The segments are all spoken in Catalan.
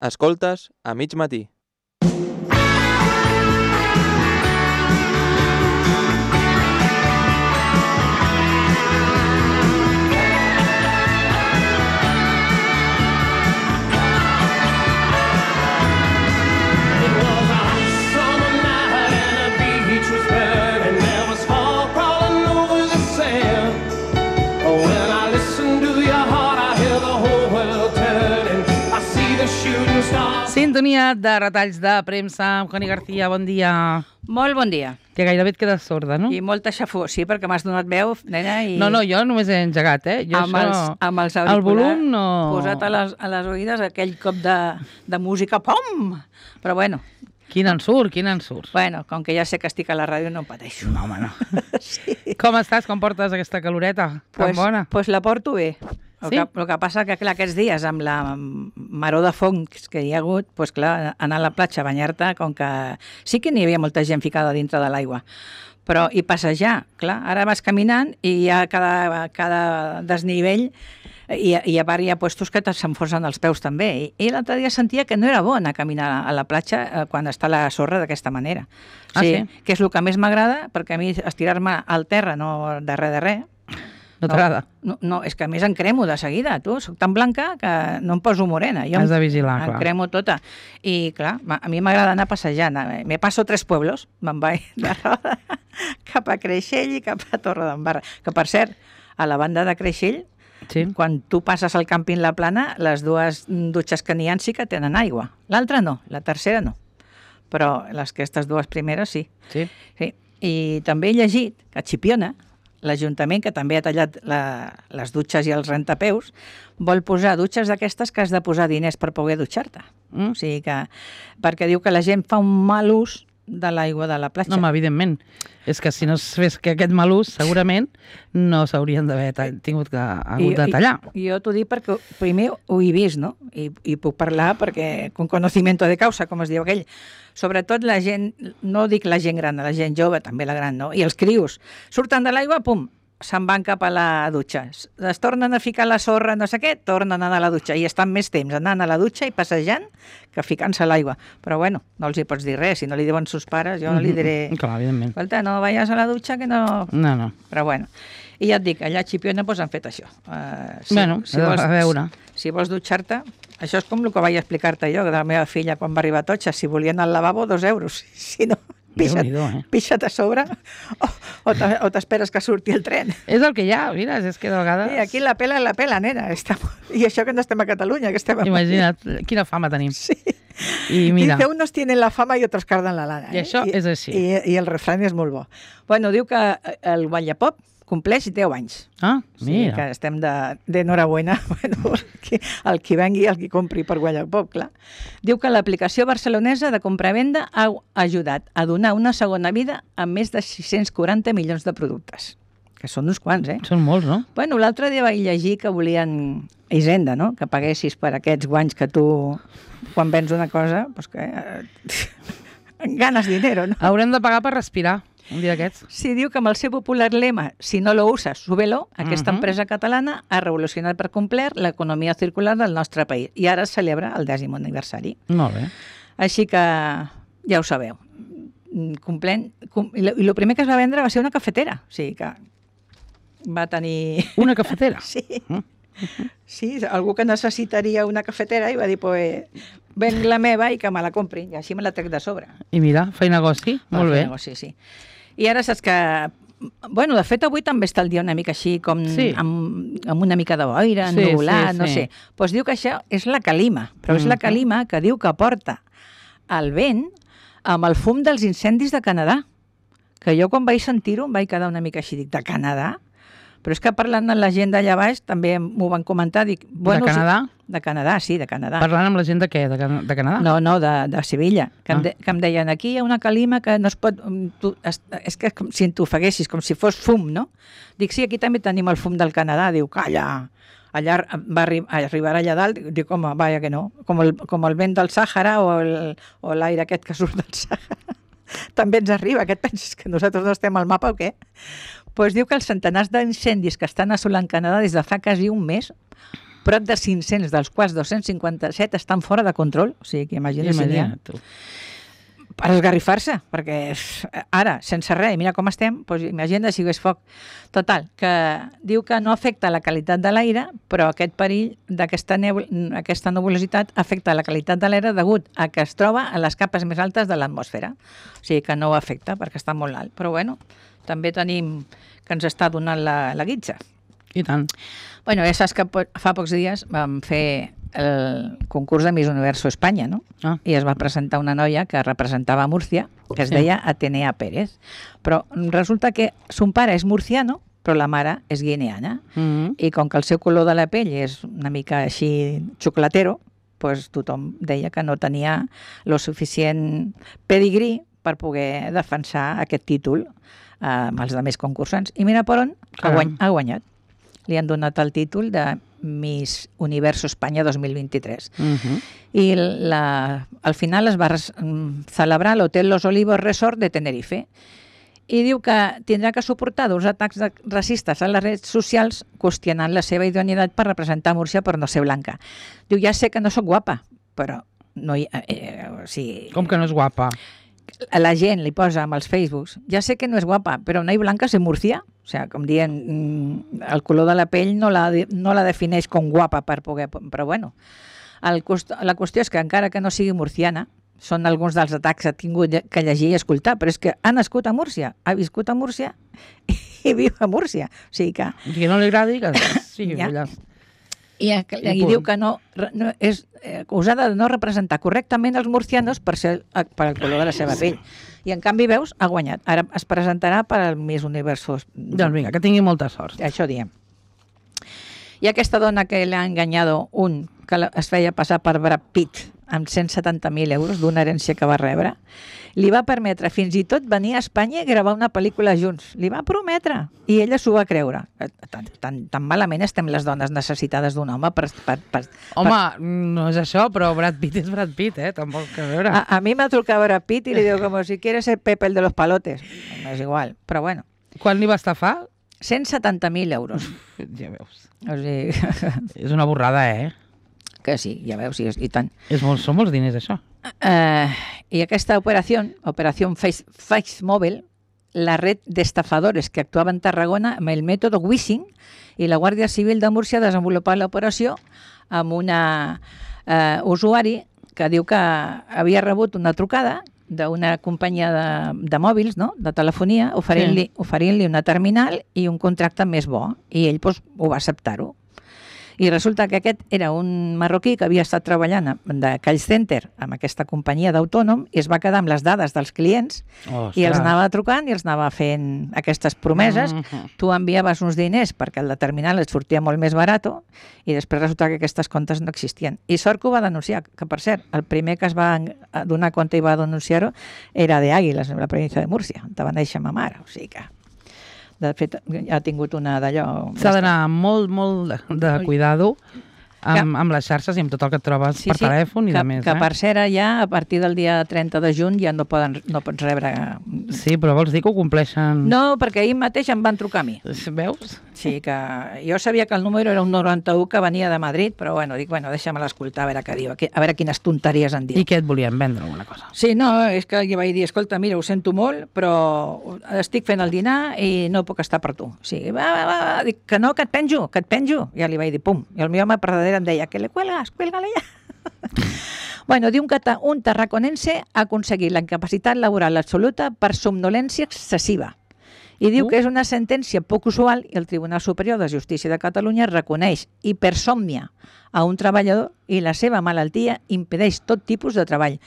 Escoltes a mig matí. Sintonia de retalls de premsa amb Connie García, bon dia. Molt bon dia. Que gairebé et quedes sorda, no? I molta xafó, sí, perquè m'has donat veu, nena, i... No, jo només he engegat, Jo amb els auriculars, el volum no... posat a les oïdes aquell cop de música, pom! Però bueno... Quin ensurt. Bueno, com que ja sé que estic a la ràdio, no em pateixo. No, home, no. Sí. Com estàs? Com portes aquesta caloreta tan bona? Pues la porto bé. Sí? El que passa que, clar, aquests dies, amb la maror de fongs que hi ha hagut, pues, clar, anar a la platja a banyar-te, com que sí que n'hi havia molta gent ficada dintre de l'aigua, però i passejar, clar, ara vas caminant i hi ha cada desnivell i a part hi ha puestos que s'enfonsen els peus també. I l'altre dia sentia que no era bo anar a caminar a la platja quan està la sorra d'aquesta manera. Sí? Que és el que més m'agrada, perquè a mi estirar-me al terra no de res. No t'agrada? No, és que a més em cremo de seguida, tu. Soc tan blanca que no em poso morena. Has de vigilar, clar. Em cremo tota. I, clar, a mi m'agrada anar passejant. Me passo 3 pueblos, me'n vaig de Roda cap a Creixell i cap a Torredembarra. Que, per cert, a la banda de Creixell, sí, quan tu passes al càmping La Plana, les 2 dutxes que n'hi ha sí que tenen aigua. L'altra no, la tercera no. Però aquestes 2 primeres sí. Sí. I també he llegit que a Chipiona, l'Ajuntament, que també ha tallat les dutxes i els rentapeus, vol posar dutxes d'aquestes que has de posar diners per poder dutxar-te. O sigui que, perquè diu que la gent fa un mal ús de l'aigua de la platja. No, home, evidentment. És que si no es fes que aquest mal ús, segurament no s'haurien d'haver hagut de tallar. Jo t'ho dic perquè primer ho he vist, no? I puc parlar perquè con conocimiento de causa, com es diu aquell. Sobretot la gent, no dic la gent gran, la gent jove, també la gran, no? I els crios surten de l'aigua, pum, se'n van cap a la dutxa. Es tornen a ficar la sorra, no sé què, tornen a anar a la dutxa. I estan més temps anant a la dutxa i passejant que ficant-se a l'aigua. Però bueno, no els hi pots dir res. Si no li diuen sus pares, jo no li diré... Clar, evidentment. Escolta, no vayas a la dutxa que no... No. Però bueno. I ja et dic, allà a Chipiona han fet això. A veure. Si vols dutxar-te, això és com el que vaig explicar-te jo, que de la meva filla quan va arribar a Totxa, si volia anar al lavabo, 2 euros. Si no, pixa't a sobre o t'esperes que surti el tren. És el que hi ha, mira, és que de vegades... Sí, aquí la pela, nena. I això que no estem a Catalunya, que estem... Imagina't, quina fama tenim. Sí. I mira... Dice, unos tienen la fama y otros cardan la lana. I això és així. I el refrany és molt bo. Bueno, diu que el Wallapop compleix 10 anys. Ah, mira. Sí, que estem d'enhorabuena. Bueno, el qui vengui, el qui compri per Wallapop, clar. Diu que l'aplicació barcelonesa de compra-venda ha ajudat a donar una segona vida a més de 640 milions de productes. Que són uns quants, Són molts, no? Bueno, l'altre dia vaig llegir que volien Hisenda, no? Que paguessis per aquests guanys que tu, quan vens una cosa, doncs que... ganes dinero, no? Haurem de pagar per respirar. Un dia d'aquests. Sí, diu que amb el seu popular lema, si no lo usas, súbelo, aquesta empresa catalana ha revolucionat per complet l'economia circular del nostre país. I ara es celebra el 10è aniversari. Molt bé. Així que ja ho sabeu. I el primer que es va vendre va ser una cafetera. O sigui que va tenir... Una cafetera? Sí. Sí, algú que necessitaria una cafetera i va dir, pues, ven la meva i que me la compri. I així me la trec de sobre. I mira, feia negoci. Molt bé. Negoci, sí. I ara saps que... Bueno, de fet, avui també està el dia una mica així, com amb una mica de boira, ennubulat, no sé. Doncs diu que això és la calima, però és la calima que diu que porta el vent amb el fum dels incendis de Canadà. Que jo quan vaig sentir-ho em vaig quedar una mica així, dic, de Canadà? Però és que parlant amb la gent d'allà baix també m'ho van comentar. Dic, bueno, de Canadà? De Canadà, sí, de Canadà. Parlant amb la gent de què? De Canadà? No, de Sevilla. Que em deien, aquí hi ha una calima que no es pot... és que si tu ofeguessis, com si fos fum, no? Dic, sí, aquí també tenim el fum del Canadà. Diu, calla, allà va arribar allà dalt. Dic, home, vaja que no. Com el vent del Sàhara o l'aire aquest que surt del Sàhara. També ens arriba. Què et penses, que nosaltres no estem al mapa o què? Doncs diu que els centenars d'incendis que estan assolant Canadà des de fa quasi un mes prop de 500, dels quals 257 estan fora de control. O sigui, que imagina't si n'hi ha. tu. Per esgarrifar-se, perquè ara, sense res, mira com estem, doncs imagina't si hi hagués foc. Total, que diu que no afecta la qualitat de l'aire, però aquest perill d'aquesta aquesta nebulositat afecta la qualitat de l'aire degut a que es troba a les capes més altes de l'atmosfera. O sigui que no ho afecta perquè està molt alt. Però bueno, també tenim que ens està donant la guitza. I tant. Bueno, ja saps que fa pocs dies vam fer el concurs de Miss Universo Espanya, no? Ah. I es va presentar una noia que representava Múrcia, que es deia Atenea Pérez. Però resulta que son pare és murciano, però la mare és guineana. I com que el seu color de la pell és una mica així xocolatero, doncs tothom deia que no tenia lo suficient pedigrí per poder defensar aquest títol amb els altres concursants. I mira per on ha guanyat. Li han donat el títol de Miss Universo Espanya 2023. I al final es va celebrar a l'Hotel Los Olivos Resort de Tenerife. I diu que tindrà que suportar uns atacs racistes a les redes socials qüestionant la seva idoneïtat per representar Múrcia per no ser blanca. Diu, ja sé que no sóc guapa, però no hi... Com que no és guapa? La gent li posa amb els Facebooks, ja sé que no és guapa, però no hi blanca ser Múrcia. O sigui, com dient, el color de la pell no la defineix com guapa per poder... Però bueno, la qüestió és que encara que no sigui murciana, són alguns dels atacs que ha tingut que llegir i escoltar, però és que ha nascut a Múrcia, ha viscut a Múrcia i viu a Múrcia. O sigui que... Que no li agradi, que sigui allà. I diu que no és acusada de no representar correctament els murcianos per el color de la seva pell. I en canvi, veus, ha guanyat. Ara es presentarà per al Miss Universo. Doncs vinga, que tingui molta sort. Això diem. I aquesta dona que l'ha enganyat que es feia passar per Brad Pitt amb 170.000 euros d'una herència que va rebre, li va permetre fins i tot venir a Espanya i gravar una pel·lícula junts. Li va prometre. I ella s'ho va creure. Tan malament estem les dones necessitades d'un home per... Home, no és això, però Brad Pitt és Brad Pitt, tampoc que veure. A mi m'ha trucat Brad Pitt i li diu com si quieres ser Pepe el de los palotes. No és igual, però bueno. Quan li va estafar? 170.000 euros. Ja veus. O sigui... És una borrada, Que sí, ja veus, i tant. Són molts diners, això. I aquesta operació Face Mobile, la red d'estafadores que actuava en Tarragona amb el mètode Wishing, i la Guàrdia Civil de Múrcia ha desenvolupat l'operació amb una usuari que diu que havia rebut una trucada d'una companyia de mòbils, no? De telefonia, oferint-li una terminal i un contracte més bo. I ell ho va acceptar-ho. I resulta que aquest era un marroquí que havia estat treballant de call center amb aquesta companyia d'autònom i es va quedar amb les dades dels clients i els anava trucant i els anava fent aquestes promeses. Tu enviaves uns diners perquè el de terminal et sortia molt més barat i després resulta que aquestes comptes no existien. I sort que ho va denunciar, que per cert, el primer que es va donar compte i va denunciar-ho era d'Àguiles, en la província de Múrcia, on va néixer ma mare, o sigui que... De fet, ha tingut una d'allò... S'ha d'anar molt de cuidado amb les xarxes i amb tot el que et trobes per telèfon i de més. Que per cert, ja a partir del dia 30 de juny ja no pots rebre... Sí, però vols dir que ho compleixen... No, perquè ahir mateix em van trucar a mi. Veus? Sí, que jo sabia que el número era un 91 que venia de Madrid, però dic, deixa'm l'escoltar a veure què diu, a veure quines tonteries en diu. I què et volien vendre, alguna cosa? Sí, no, és que jo vaig dir, escolta, mira, ho sento molt, però estic fent el dinar i no puc estar per tu. Sí, va, dic, que no, que et penjo. Ja li vaig dir, pum, i el meu home per darrere em deia, que le cuelgas, cuélgale ja. Diu que un tarraconense ha aconseguit la incapacitat laboral absoluta per somnolència excessiva. I diu que és una sentència poc usual i el Tribunal Superior de Justícia de Catalunya reconeix hipersòmnia a un treballador i la seva malaltia impedeix tot tipus de treball.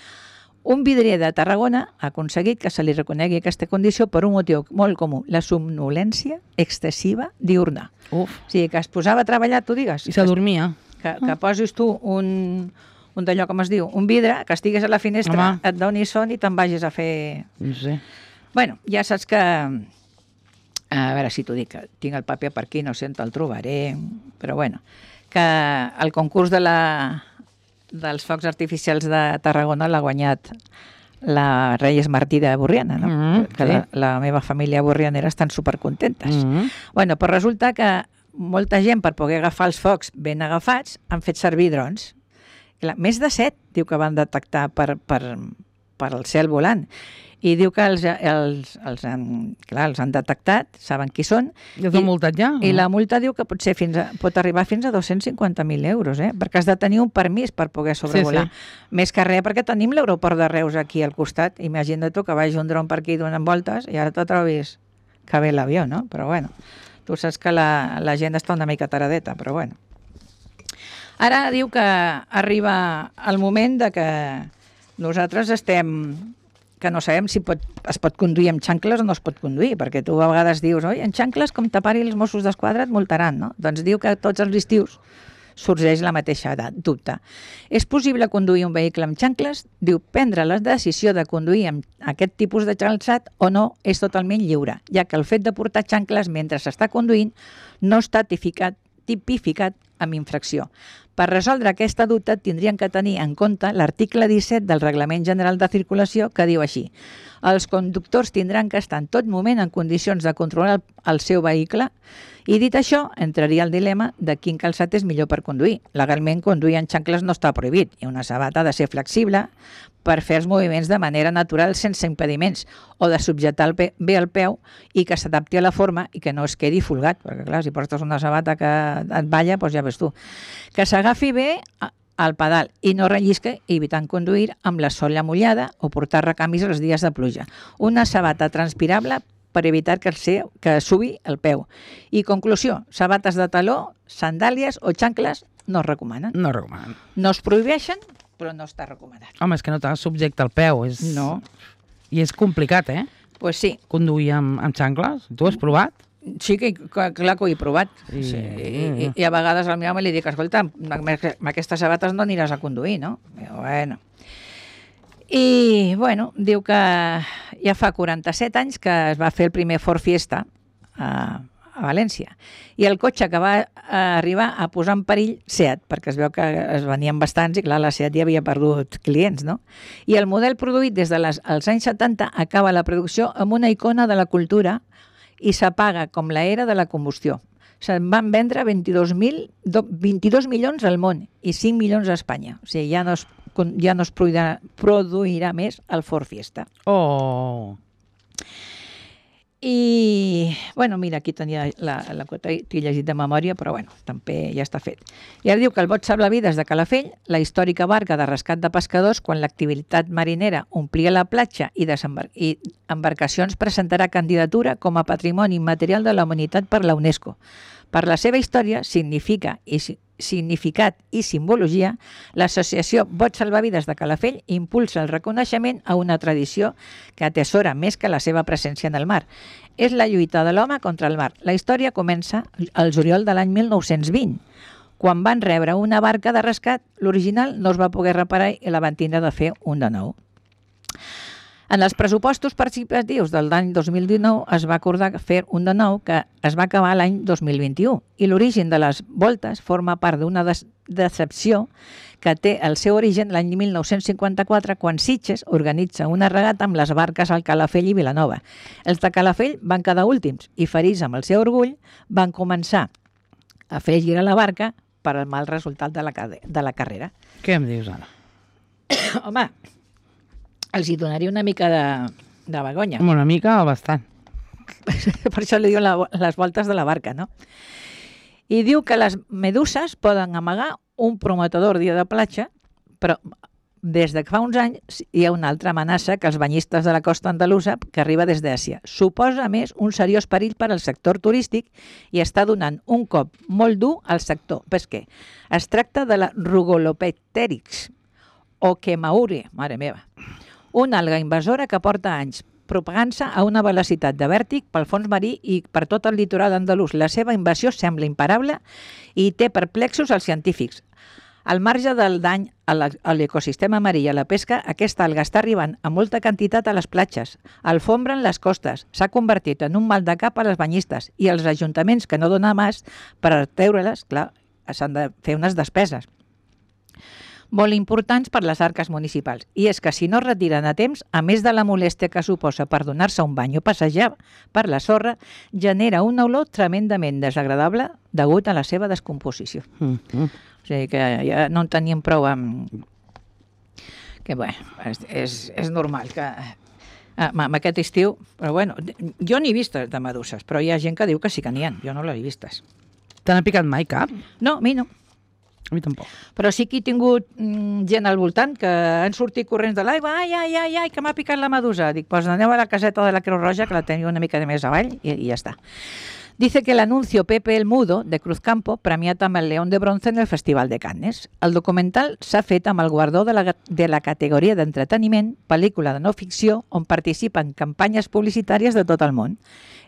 Un vidrier de Tarragona ha aconseguit que se li reconegui aquesta condició per un motiu molt comú, la somnolència excessiva diurna. O sigui, que es posava a treballar, tu digues. I s'adormia. Que posis tu un d'allò, com es diu, un vidre, que estigues a la finestra, et doni son i te'n vagis a fer... No sé. Bueno, ja saps que... A veure si t'ho dic, que tinc el paper per aquí, no sé on te'l trobaré, però bueno, que el concurs dels focs artificials de Tarragona l'ha guanyat la Reyes Martí de Borriana, no? Que la meva família borrianera estan supercontentes. Bueno, però resulta que molta gent, per poder agafar els focs ben agafats, han fet servir drons. Clar, més de 7, diu que van detectar per el cel volant. I diu que els han detectat, saben qui són. I els han multat ja? I la multa diu que pot arribar fins a 250.000 euros, perquè has de tenir un permís per poder sobrevolar. Sí. Més que res, perquè tenim l'aeroport de Reus aquí al costat. Imagina't tu que vagi un dron per aquí donant voltes i ara te trobis que ve l'avió, no? Però bueno, tu saps que la gent està una mica taradeta, però bueno. Ara diu que arriba el moment de que nosaltres que no sabem si es pot conduir amb xancles o no es pot conduir, perquè tu a vegades dius, oi, en xancles, com te pari els Mossos d'Esquadra et multaran, no? Doncs diu que tots els estius sorgeix la mateixa dubte. És possible conduir un vehicle amb xancles? Diu, prendre la decisió de conduir amb aquest tipus de calçat o no és totalment lliure, ja que el fet de portar xancles mentre s'està conduint no està tipificat amb infracció. Per resoldre aquesta dubte tindrien que tenir en compte l'article 17 del Reglament General de Circulació que diu així: els conductors tindran que estar en tot moment en condicions de controlar el seu vehicle i, dit això, entraria el dilema de quin calçat és millor per conduir. Legalment, conduir en xancles no està prohibit i una sabata ha de ser flexible per fer els moviments de manera natural sense impediments o de subjectar bé el peu i que s'adapti a la forma i que no es quedi folgat, perquè clar, si portes una sabata que et balla, doncs ja ves tu. Que s'agafi bé al pedal i no rellisque, evitant conduir amb la sola mullada o portar recanvis els dies de pluja. Una sabata transpirable per evitar que subi el peu. I conclusió, sabates de taló, sandàlies o xancles no es recomanen. No recomanen. No es prohibeixen, però no està recomanat. Home, és que no t'ha subjecte el peu. No. I és complicat, Pues sí. Conduir amb xancles. Tu has provat? Sí, clar que ho he provat. Sí. I a vegades al meu home li dic, escolta, amb aquestes sabates no aniràs a conduir, no? Bueno. I, bueno, diu que ja fa 47 anys que es va fer el primer Ford Fiesta a València. I el cotxe que va arribar a posar en perill Seat, perquè es veu que es venien bastants i clar, la Seat ja havia perdut clients, no? I el model produït des dels anys 70 acaba la producció amb una icona de la cultura i s'apaga com l'era de la combustió. Se'n van vendre 22 milions al món i 5 milions a Espanya. O sigui, ja no es produirà més el Ford Fiesta. Oh! I, bueno, mira, aquí tenia la quota, t'he llegit de memòria, però bueno, també ja està fet. I ara diu que el bot salvavides de Calafell, la històrica barca de rescat de pescadors, quan l'activitat marinera omplia la platja i embarcacions presentarà candidatura com a Patrimoni Immaterial de la Humanitat per la UNESCO. Per la seva història, significat i simbologia, l'associació Bots Salvavides de Calafell impulsa el reconeixement a una tradició que atesora més que la seva presència en el mar. És la lluita de l'home contra el mar. La història comença al juliol de l'any 1920, quan van rebre una barca de rescat. L'original no es va poder reparar i la van tindre de fer un de nou. En els pressupostos participatius de l'any 2019 es va acordar fer un de nou que es va acabar l'any 2021 i l'origen de les voltes forma part d'una decepció que té el seu origen l'any 1954 quan Sitges organitza una regata amb les barques al Calafell i Vilanova. Els de Calafell van quedar últims i, ferits amb el seu orgull, van començar a fer girar la barca per al mal resultat de la carrera. Què em dius ara? Home, els hi donaria una mica de vergonya. Una mica o bastant. Per això li diuen les voltes de la barca, no? I diu que les meduses poden amagar un prometedor dia de platja, però des de fa uns anys hi ha una altra amenaça que els banyistes de la costa andalusa que arriba des d'Àsia. Suposa, a més, un seriós perill per al sector turístic i està donant un cop molt dur al sector pesquer. Es tracta de la Rugolopteryx o Kemaure, mare meva, una alga invasora que porta anys propagant-se a una velocitat de vèrtic pel fons marí i per tot el litoral andalús. La seva invasió sembla imparable i té perplexos els científics. Al marge del dany a l'ecosistema marí i a la pesca, aquesta alga està arribant a molta quantitat a les platges, alfombren les costes, s'ha convertit en un mal de cap a les banyistes i els ajuntaments que no donen més per treure-les, clar, s'han de fer unes despeses. molt importants per les arques municipals. I és que si no es retiren a temps, a més de la molèstia que suposa per donar-se un bany o passejar per la sorra, genera una olor tremendament desagradable degut a la seva descomposició. O sigui que ja no en teníem prou amb... Que bé, és normal que... Amb aquest estiu, però bueno, jo n'he vistes de meduses, però hi ha gent que diu que sí que n'hi ha, jo no l'he vistes. T'han picat mai cap? No, a mi no. A mi tampoc. Però sí que he tingut gent al voltant que han sortit corrents de l'aigua, ai, que m'ha picat la medusa. Dic, doncs aneu a la caseta de la Creu Roja, que la teniu una mica més avall, i ja està. Dice que el anuncio Pepe el Mudo, de Cruzcampo, premiat amb el León de Bronce en el Festival de Cannes. El documental s'ha fet amb el guardó de la categoria d'entreteniment, pel·lícula de no ficció, on participen campanyes publicitàries de tot el món.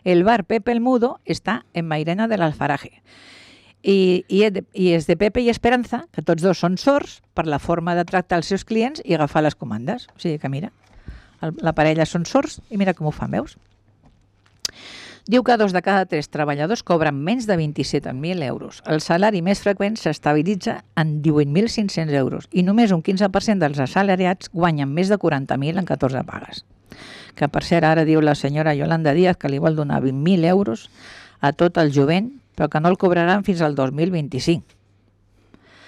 El bar Pepe el Mudo està en Mairena de l'Alfaraje. I és de Pepe i Esperanza, que tots dos són sords, per la forma de tractar els seus clients i agafar les comandes. O sigui que mira, la parella són sords i mira com ho fan, veus? Diu que 2 de cada 3 treballadors cobren menys de 27.000 euros. El salari més freqüent s'estabilitza en 18.500 euros i només un 15% dels assalariats guanyen més de 40.000 en 14 pagues. Que per cert, ara diu la senyora Yolanda Díaz que li vol donar 20.000 euros a tot el jovent, però que no el cobraran fins al 2025.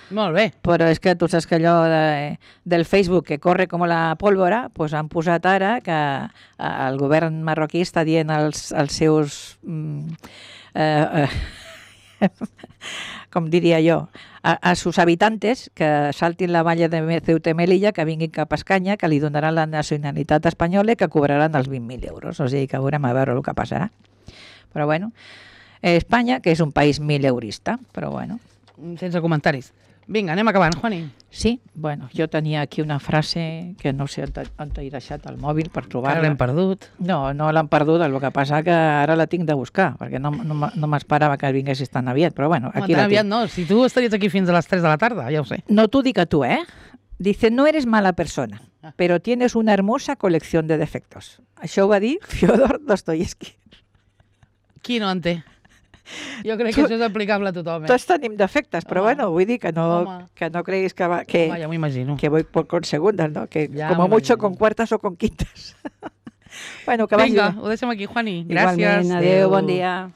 Molt bé. Però és que tu saps que allò del Facebook que corre com la pólvora, doncs han posat ara que el govern marroquí està dient als seus, com diria jo, a sus habitantes que saltin la valla de Ceuta i Melilla, que vinguin cap a Escanya, que li donaran la nacionalitat espanyola i que cobraran els 20.000 euros. O sigui que veurem a veure el que passarà. Però bueno, Espanya, que és un país mileurista, però bueno. Sense comentaris. Vinga, anem acabant, Juani. Sí, bueno, jo tenia aquí una frase que no sé on he deixat el mòbil per trobar-la. Que l'hem perdut. No l'hem perdut, el que passa que ara la tinc de buscar, perquè no m'esperava que vinguessis tan aviat, però bueno, aquí la tinc. Aviat no, si tu estaries aquí fins a les 3 de la tarda, ja ho sé. No t'ho dic a tu, Dice, no eres mala persona, pero tienes una hermosa colección de defectos. Això ho va dir Fyodor Dostoyevsky. Qui no en té? Jo crec que això és aplicable a tothom. Tots tenim defectes, però bueno, vull dir que no creguis que Home, ja m'ho imagino. Que voy con segundas, ¿no? Que ja como mucho con cuartas o con quintas. Bueno, que vagi. Vinga, ho deixem aquí, Juani. Gràcies. Igualment, adéu, bon dia.